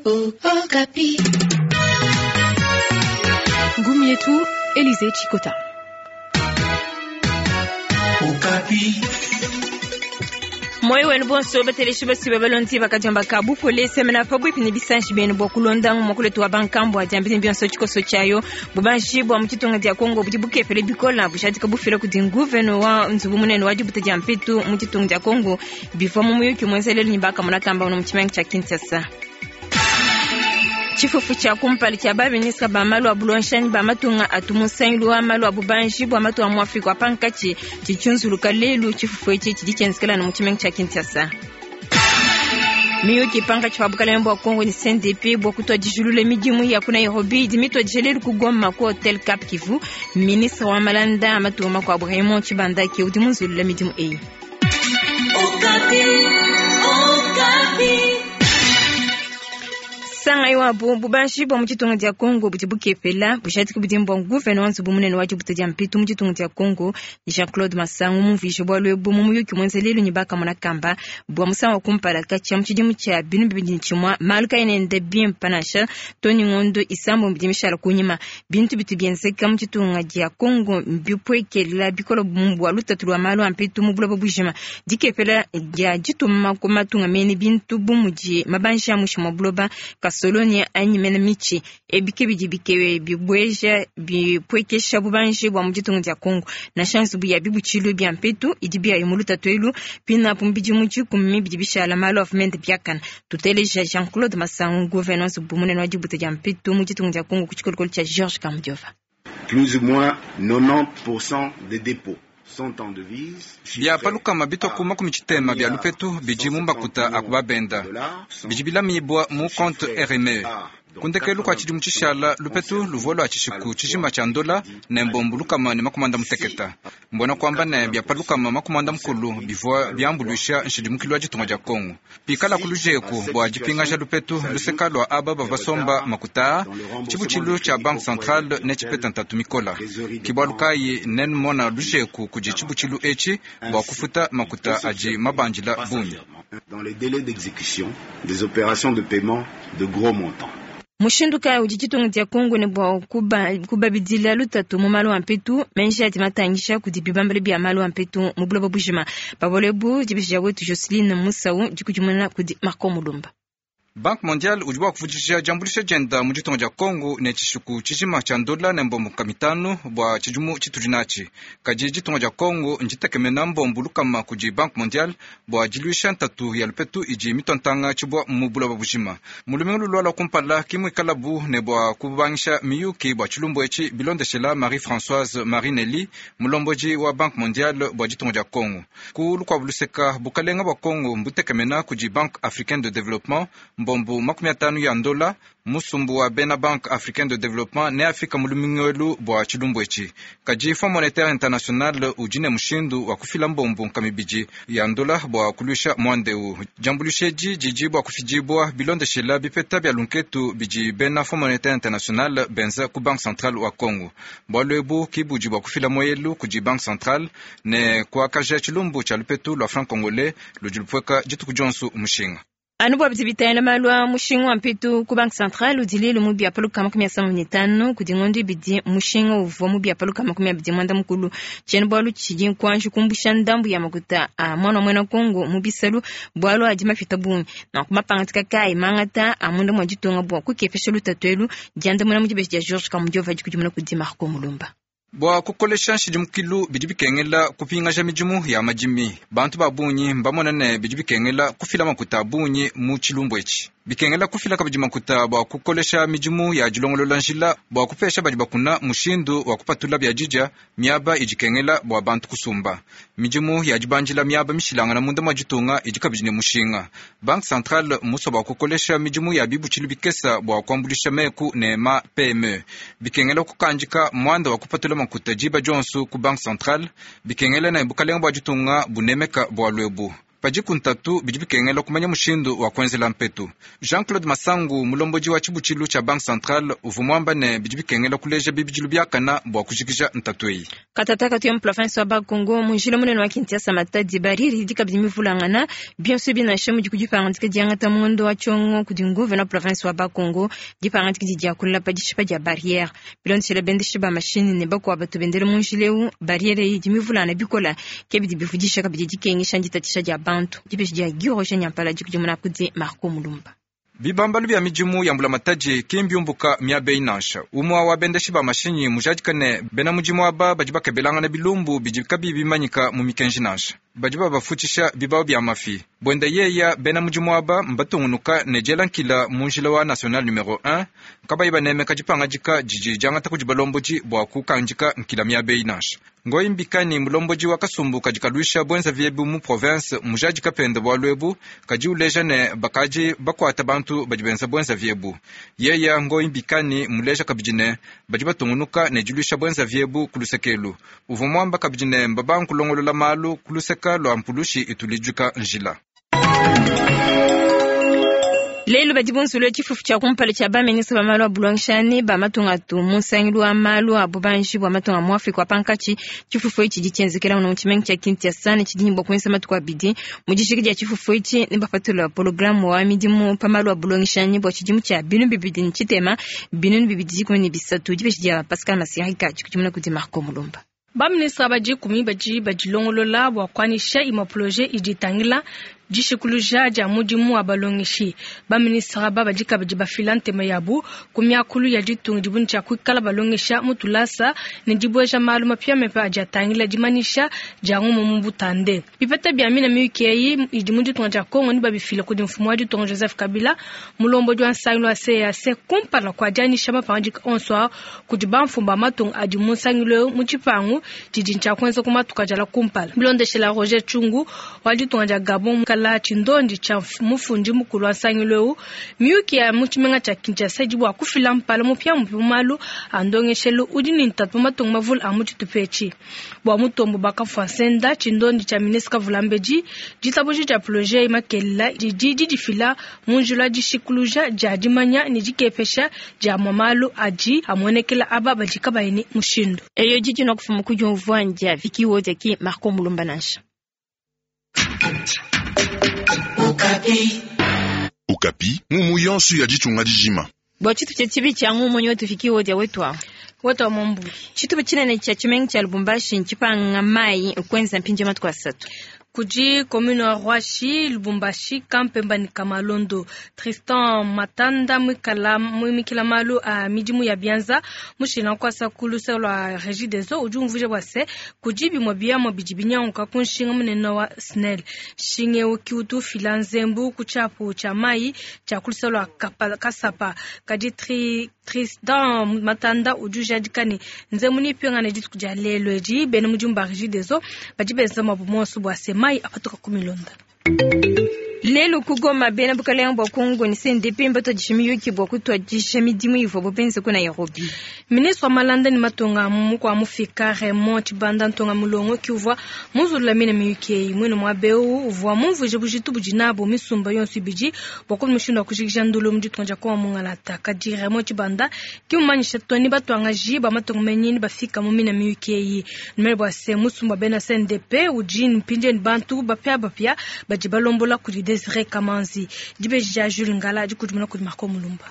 Okapi. Ngumu yetu Elize Chikota. Okapi. Moyo wenu bonso bateleshi basiba balonzi bakajamba ka bupole semena pabwipi ni bisanji benu bwa kulonda mwakuletu wa bankambwa diambili bionso tshikoso tshayo bubanji bwa mutshitunga dia Kongo budi bukepele bikola bushatika bufila kudi nguveno wa nzubu munene wa dibuta dia mpetu mu tshitunga dia Kongo bivua mu muyuki muenzelelu ni bakamona kamba mu tshimenga tshia Kinshasa. Tshifufu tshia kumpala tshia baministre ba malu a bulonshani ba matunga atu musangilu wa malu a bubanji bua matunga mu Afrika wa pankatshi tshitshunzuluka lelu. Tshifufu etshi tshidi tshienzekelana mu tshimenga tshia Kinshasa. Miyuki pankatshi pa bukalenge bua Kongo ne CNDP bua kutuadijilula midimu ya ku Nairobi idi mituadije lelu ku Goma ku Hotel Cap Kivu. Ministre wa malanda a matunga makuabu Raymond Tshibanda ke udi munzulula midimu eyi. Okapi. Okapi. Sangai wabo bubanji bwa mu tshitunga dia Kongo budi bukepela bujadiki budi bua nguvena wa nzubu munene wa dibuta dia mpetu mu tshitunga dia Kongo Jean-Claude Masangu mumvuije bualu ebu mu muyuki muenza lelu ne bakamona kamba bua musangu wa kumpala katshia mu tshidimu tshia 2021 malu kaena enda bimpe nansha too ne ngondo isambombo idi mishala kunyima. Bintu bitu bienzeka mu tshitunga dia Kongo mbipuekela bikole bua lutatu lua malu a mpetu mu buloba bujima, dikepela dia dituma ku matunga mene bintu bu mudi mabanji a muinshi mua buloba, kasolonia anyi mena mitshi. Ebi ke bidi bikewe bibueja bipuekesha bubanji bua mu ditunga dia Kongo. Nansha nzubu ya bibutshilu bia mpetu idi biayo mu lutatu elu pinapu mu bidimu 10 bidi bishala malu avua mende biakana. Tuteleja Jean-Claude Masangu, gouverneur nzubu munene wa dibuta dia mpetu mu ditunga dia Kongo ku tshikolokolo tshia Georges Kamujova. Plus ou moins 90% des dépôts sont en devise. Bia pa lukama bitue ku 60 bia lupetu bidi mu makuta a ku babenda bidi bilamibua mu compte RME. Ku ndekelu kua tshidimu tshishala lupetu luvua lua tshishiku tshijima tshia ndola ne mbombu 160. Mbuena kuamba ne bia pa 140 bivua biambuluisha nshidimukilu wa ditunga dia Kongo. Pikalaku lujeku bua dipingaja lupetu luseka lua aba bavua basomba makuta, tshibutshilu tshia Banque Centrale netshipeta ntatu mikola. Ke bualu kayi nenmona lujeku kudi tshibutshilu etshi bua kufuta makuta adi mabandila bungi. Dans les délais d'exécution des opérations de paiement de gros montants. Mushindu kayi udi ditunga dia Kongo ne bua kubabidila lutatu mu malu a mpetu menji adi matangisha kudi bibambalu bia malu a mpetu mu buloba bujima? Pabole bu dibisha wetu Joceline Musau dikudimuna kudi Marco Mulumba. Banque mondiale udi bua kuvudija diambuluisha dienda mu ditunga dia Kongo ne tshishiku tshijima tshia ndola ne mbombo 500 bua tshidimu tshitudi natshi. Kadi ditunga dia Kongo nditekemena mbombo 100 kudi Banque mondiale bua diluisha ntatu ya lupetu idi mitontanga tshibua mu buloba bujima. Mu lumingu lulualua kumpala ke muikalabu ne bua kubangisha miyuki bua tshilumbu etshi bilondeshela Marie-Françoise Marinelli, mulombodi wa Banque mondiale bua ditunga dia Kongo. Ku lukuabu luseka bukalenga bua Kongo mbutekemena kudi Banque africaine de développement mbombo 50 ya ndola. Musumbu wa bena Banque africaine de développement ne afika mu lumingu elu bua tshilumbu etshi. Kadi Fonds monétaire international udi ne mushindu wa kufila mbombo 200 ya ndola bua kuluisha muanda eu. Diambuluisha edi didi bua kufidibua bilondeshela bipeta bia lunketu bidi bena Fonds monétaire international benza ku Banque centrale wa Congo. Bualu ebu ke budi bua kufila moyelu kudi Banque centrale ne kuakaja tshilumbu tshia lupetu lua franc congolais ludi lupueka dituku dionso mushinga. Anu bua bidi bitangila malu a mushinga wa mpetu ku Banque centrale udi lelu mu bia pa 175 kudi ngondo ibidi mushinga uvua mu bia pa 290. Tshiena-bualu tshidi nkuanji kumbusha ndambu ya makuta a mwana wa muena Kongo mu bisalu bualu adi mapita bungi. Nanku mapangadika kayi mangata a munda mua ditunga bua kukepesha lutatu elu? Diandamuna mu dibeji dia Georges Kamujova dikudimuna kudi Marco Mulumba. Bua kukolesha nshidimukilu bidi bikengela kupingaja midimu ya madimi. Bantu ba bungi mbamona ne bidi bikengela kufila makuta a bungi mu tshilumbu etshi. Bikengela kufila kabidi makuta bua kukolesha midimu ya dilongolola njila bua kupesha badi bakuna mushindu wa kupatula biadidia miaba idi ikengela bua bantu kusumba. Midimu ya dibandila miaba mishilangana munda mua ditunga idi kabidi ne mushinga. Banque centrale mmusue bua kukolesha midimu ya bibutshilu bikesa bua kuambuluisha meku ne ma PME. Bikengela kukandika muanda wa kupatula makuta diba dionso ku Banque centrale. Bikengela ne bukalenga bua ditunga bunemeka bualu ebu. Padiku ntatu, bidi bikengela kumanya mushindu wa kuenzela mpetu. Jean-Claude Masangu, mulombodi wa tshibutshilu tshia Banque Centrale, uvua muamba ne bidi bikengela kuleja bibidilu biakana bua kujikija ntatu eyi. Katataka tuya mu province wa Bas-Congo, mu njila munene wa Kinshasa Matadi, barriere idi kabidi mivulangana bionso binansha mudi ku dipangadika diangata mu ngondo wa Tshiongo kudi nguvena wa province wa Bas-Congo. Dipangadika didi diakula pa dishipa dia barriere bilondeshela bendeshi ba mashini ne bakuabu batu bendela mu njila eu. Barriere eyi idi mivulangana bikola ke bidi bivudisha kabidi dikengesha nditatshisha dia bantu. Dibeji dia Guy Roger Nyampala dikudimuna kudi Marco Mulumba. Bibambalu bia midimu ya mbulamatadi ki mbiumbuka miaba eyi nansha. Umue wa bendeshi ba mashinyi mujadika ne bena mudimu aba badi bakebelangana bilumbu bidi kabiyi bimanyika mu mikenji nansha. Badi babafutshisha bibawu bia mafi. Buenda yeya bena mudimu aba mbatungunuka ne diela nkila mu njila wa national numero 1 kabayi banemeka dipangadika didi diangata kudi balombodi bua kukandika nkila miaba eyi nansha. Ngoyi Mbikani, mulombodi wa kasumbu kadi kaluisha buenzavi ebu mu province, mujadika pende bualu ebu, kadi uleja ne bakadi bakuata bantu badi benza buenzavi ebu. Yeya Ngoyi Mbikani muleja kabidi ne badi batungunuka ne diluisha buenzavi ebu ku lusekelu. Uvua muamba kabidi ne mbabanga kulongolola malu ku luseka lua mpulushi itulidika njila. Lelu badi bunzulula tshifufu tshia kumpala tshia baminista ba malu a bulongeshani ba matunga atu mu nsangilu wa malu a bubanji bua matunga mu Afrika wa pankatshi. Tshifufu etshi tshidi tshienzekela mu tshimenga tshia Kinshasa ne tshidi ne bua kuenza matuku abidi. Mu dijika dia tshifufu etshi ne bapatula programme wa midimu pa malu a bulongeshani bua tshidimu tshia 2023 2023. Dibeji dia Pascal Masirika dikudimuna kudi Marco Mulumba. Baminista badi kumi badi badilongolola bua kuanyisha imue projet idi itangila dishikuluja dia mudimu wa balongeshi. Baminista aba badi kabidi bafila ntema yabu ku miakulu ya ditunga dibu ne tshia kuikala balongesha mu tulasa ne dibueja malu mapiamapia adi atangila dimanyisha dia ngumu mu butande. Bipeta bia mina miyuki eyi idi mu ditunga dia Kongo ne babifila kudi mfumu wa ditunga Joseph Kabila, mulombodi wa nsangilu wa CEEAC, kumpala kua dianyisha mapangadika onso a kudi bamfumu ba matunga adi mu nsangilu eu mu tshipangu tshidi tshia kuenza ku matuku adi alua kumpala. Bilondeshela Roger Chungu wa ditunga dia Gabon, kala tshindondi tshia mufundi mukulu wa nsangilu eu, miyuki ya mu tshimenga tshia Kinshasa idi bua kufila mpala mupiamupia mu malu a ndongeshelu udi ne ntatu mu matunga mavule a mu tshitupa etshi. Bua Mutombo bakafua nsenda, tshindondi tshia ministre Kavulambedi, ditabuja dia projet makelela didi didifila mu njila wa dishikuluja dia dimanya ne dikepesha dia amue malu adi amuenekela aba badi kabayi ne mushindu. Eyo didi na kufuma ku diumvua ndia Vicky Wodia ki Marco Mulumba nansha. Okapi. Okapi, ngumu yonso ya ditunga dijima. Bua tshitupa tshia tshibi tshia ngumu nyotu Vicky Wodia wetu awu. Wetu wa mombu. Tshitupa tshinene tshia tshimenga tshia Lubumbashi ntshipanga mayi kuenza mpindieu matuku asatu. Kudi commune wa Rwashi, Lubumbashi, Kampemba ne Kamalondo. Tristan Matanda mwikala mwimikila malu a midimu ya bianza mushila nkwasa ku luse lua Régie des Eaux udi umvuija bua se kudi bimue biamua bidi binyanguka ku nshinga munene wa SNEL. Nshinga eu ki utu ufila nzembu ku tshiapu tshia mayi tshia ku luse lua Kasapa. Kadi Tristan Matanda udi ujadika ne nzembu nipingane dituku dia lelu edi bena mudimu ba Régie des Eaux badi benza muabu muonso bua se mayi apatuka ku milonda. Lelu ku Goma bena bukalenge bua Kongo ne CNDP mbatuadije miyuki bua kutuadija midimu ivuabu benze ku Nairobi. Ministre wa malanda ne matunga mukua mufika Raymond Tshibanda Ntonga Mulongo ki uvua munzulula mine miyuki eyi. Muine muaba eu uvua mumvuije bujitu budi nabu misumba yonso ibidi bua kumona mushindu wa kujikija ndulu mu ditunga dia Kongo mungalata. Kadi Raymond Tshibanda ki mumanyisha to ni batuangaji ba matunga menyi ni bafika mu mine miyuki eyi. Numene bua se musumba bena CNDP udi mpindieu ne bantu bapiabapia badi balombola kudi Desire Kamanzi. Dibeji dia Jules Ngala dikudimuna kudi Marco Mulumba.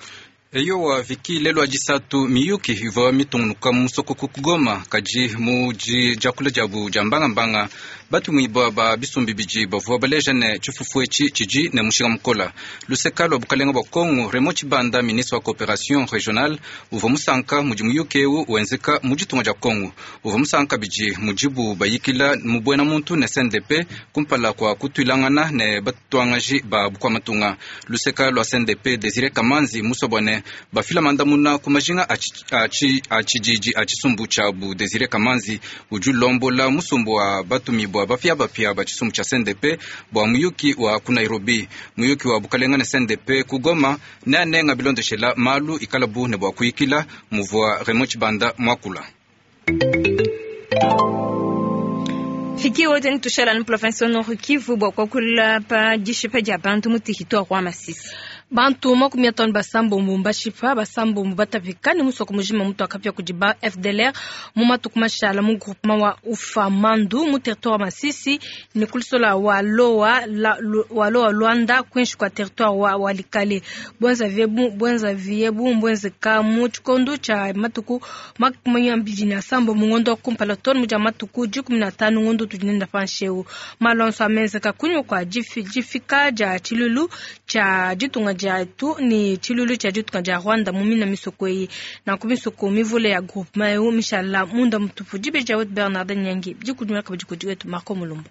Eyowa Viki lelu adisatu miyuki ivua mitungunuka mu musoko ku Goma kadi mu diakula diabu dia mbangambanga batumibua ba bisumbi bidi bavua baleja ne tshifufu etshi tshidi ne mushinga mukola. Luseka lua bukalenga bua Kongo, Raymond Tshibanda, ministre wa coopération régionale, uvua musanka mudi muyuki eu wenzeka mu ditunga dia Kongo. Uvua musanka bidi mudibu bayikila mu buena muntu ne CNDP kumpala kua kutuilangana ne batuangaji ba bukua-matunga. Luseka lua CNDP, Desire Kamanzi musobone bafila mandamuna ku majinga a tshididi a tshisumbu tshiabu. Desire Kamanzi udi ulombola musumbu wa batumibua bapiabapia ba tshisumbu tshia CNDP bua muyuki wa ku Nairobi. Muyuki wa bukalenga ne CNDP ku Goma neanenga bilondeshela malu ikalabu ne bua kuyikila muvua Raymond Tshibanda muakula. Fiki wote ni tushala ni province Nord Kivu bua kuakula pa dishipa dia bantu mu territoire wa Masisi. Bantu 56 mbashipa basambombo batapika ne musoko mujima mutu akapia kudi ba FDLR mu matuku mashala mu groupement wa Ufamandu mu territoire wa Masisi ne kulisola wa Loa la, wa Loa Luanda kwinshi kwa territoire wa Walikale. Bwenza viebu mbwenzeka mu tshikondo tsha matuku 27 mu ngondo wa kumpala tonu muja matuku 15 ngondo tudinenda pansheu. Malonso amenzeka kunywa kwa jifika ja chilulu cha ditunga dia tu ni chilulu cha ditunga dia Rwanda mumina misoko eyi nanku misoko mivule ya groupement eu mishala munda mutupu dibe dia wetu Bernard Nyangi dikudimaka badi wetu Marco Mulumbu.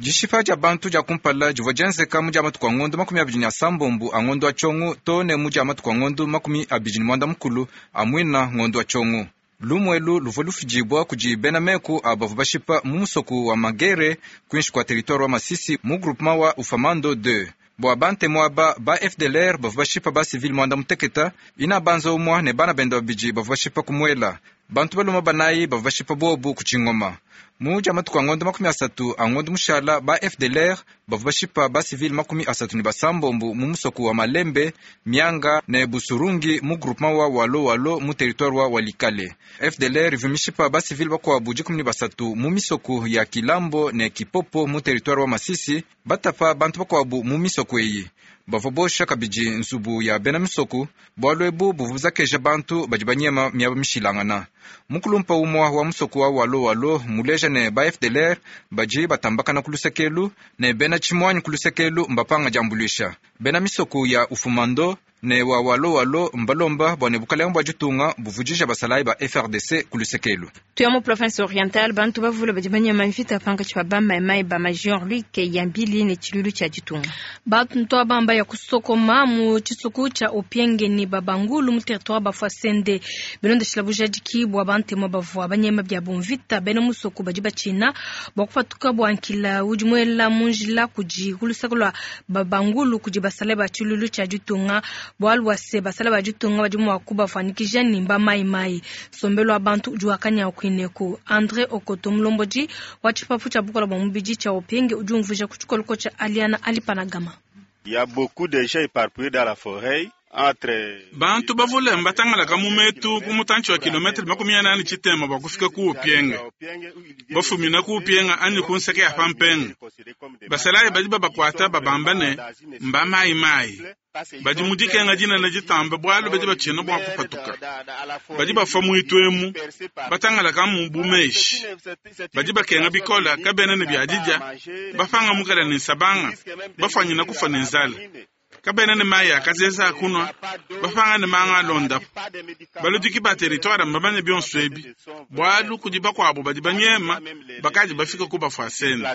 Dishipa dia bantu dia kumpala divua dienzeka mu dia matuku a ngondo 27 a ngondo wa tshiongo to ne mu dia matuku a ngondo 29 a mwina ngondo wa tshiongo. Lumwelu luvua lufidibua kudi bena meku a bavua bashipa mu musoko wa Magere kwinshi kua territoire wa Masisi mu groupement wa Ufamando 2. Bua bantemu aba ba FDLR bavua bashipa ba civil mwanda muteketa ina banza umwa ne bana benda babidi bavua bashipa kumuela. Bantu baluma banayi bavua bashipa bobu ku tshingoma. Mu dia matuku a ngondo 30 a ngondo mushala ba FDLR bavua bashipa ba civil 36 mu musoko wa Malembe, Mianga ne Busurungi mu groupement wa Walo Walo mu territoire wa Walikale. FDLR ivua mishipa ba civil bakuabu 13 mu misoko ya Kilambo ne Kipopo mu territoire wa Masisi, batapa bantu bakuabu mu misoko eyi. Bavua bosha kabidi nzubu ya bena misoko bualu ebu buvua buzakeja bantu badi banyema miaba mishilangana. Mukulumpa umwa wa musoko wa Walo Walo muleja ne ba FDLR badi batambakana ku lusekelu ne bena tshimwanyi ku lusekelu mbapanga diambuluisha. Bena misoko ya Ufumando ne wa Walo Walo mbalomba bua ne bukalenga bua ditunga buvudija basalayi ba FRDC ku lusekelu. Tuya mu province orientale bantu bavule badi banyema mvita pankatshi pa bamaimai ba major Luc Yambili ne tshilulu tshia ditunga. Bantu aba ya kusokoma mu tshisuku tshia Opienge ne babangulu mu territoire Bafwasende. Bilondeshila bujadiki bua bantemu bavua banyema bia bumvita bena musoko badi batshina bua kupatuka bua nkila udi muela mu njila kudi kulusaka lua babangulu kudi basalayi ba tshilulu tshia ditunga. Bualu bua se basalayi ba ditunga badi mua kubafuanyikija ne mba mai mai. Sombelo wa bantu udi wakanya kuineku. Andre Okoto mulombodi wa tshipapu tshia bukola bua mubidi tshia Opienge udi umvuija ku tshikoloko tshia Aliana Alipanagama. Il y a beaucoup de gens éparpillés dans la forêt. Bantu bavule mbatangalaka mu metu ku mutantshi wa kilometre 48 tshitema bua kufika ku Opienge. Bafumina ku Opienge anyi ku nseke ya pampenga. Basalayi badi babakuata babamba ne mba mai mai. Badi mu dikenga dinene ditamba bualu badi batshina bua kupatuka. Badi bafua muitu emu batangalaka mu bumeshi. Badi bakenga bikola kabena ne biadidia bapanga mukala ne nsabanga bafuanyina kufa ne nzala. Kabena ne mayi akazeza akunwa bapanga ne manga alondapo. Baludiki ba territoire mbamanye bionso ebi bualu kudi bakuabu badi banyema bakadi bafika ku Bafwasende.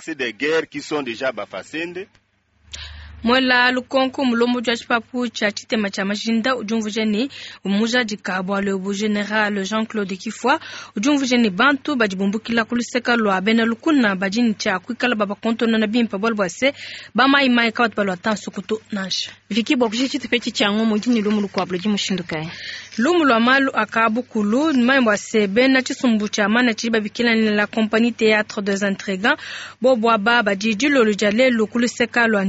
Mwela lukonko mulombodi wa tshipapu tshia tshitema tshia majinda udi umvuija ne mujadika bualu ebu General Jean-Claude Kifwa udi umvuija ne bantu badi bumbukila ku luseka lua bena lukuna badi ne tshia kuikala babakontonona bimpe bualu bua se bamayimayi kabatu balua tansukutu nansha. Viki bua kuji tshitupa tshia ngomo udi ne lumu lukuabu ludi mushindu kayi? Lumu lua malu akabukulu mayi bua se bena tshisumbu tshia mana tshidi babikila ne la compagnie théâtre des intrigants bobo aba badi dilolo dia lelu ku luseka lua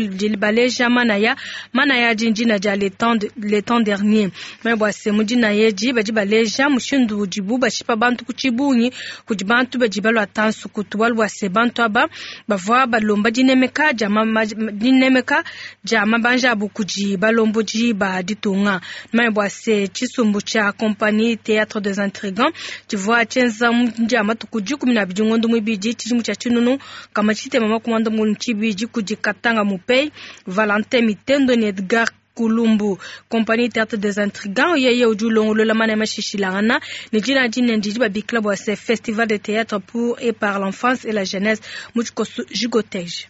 Ndjili baleja manaya dindina dia le temps dernier mayi bua se mudina yeji badi baleja mushindu udibu bashipa bantu ku tshibungi kudi bantu badi balua tansukutu bualu bua se bantu aba bavua balomba dinemeka dia mabanja abu kudi balombodi ba ditunga mayi bua se tshisumbu tshia compagnie théâtre des intrigants tshivua tshienza dia matuku 12 ngondo muibidi tshidimu tshia tshinunu kama tshitema makumanda munu tshibidi kudi Katanga Mupei Valentin Mitendo ne Edgar Kulumbu. Compagnie théâtre des intrigants yeye udi ulongolola mana mashishilangana ne dina dine ndidi babikila bua se festival de théâtre pour et par l'enfance et la jeunesse mu tshikoso Jigotege.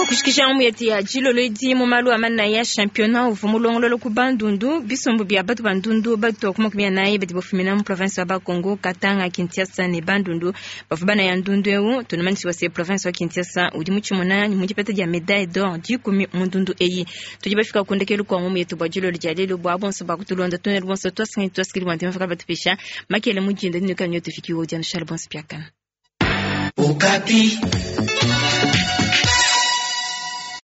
Kushikisha ngumu yetu ya dilolo edi mu malu a manaya, championnat uvua mulongolola ku Bandundu. Bisumbu bia batu bandundu batu ku 40 badi bafumina mu province wa Bakongo, Katanga, Kinshasa ne Bandundu bavua banaya ndundu eu. Tunamanyisha bua se province wa Kinshasa udi mutshimuna mu dipeta dia médaille d'or 10 mu ndundu eyi. Tudi bafika ku ndekelu kua ngumu yetu bua dilolo dia lelu. Bua bonso bakutulonda tunelu bonso twasangi twasikili bua ntemafaka batupisha makele mujinda dinuka nyotufikiwo dia nushala bonso piakana. Okapi.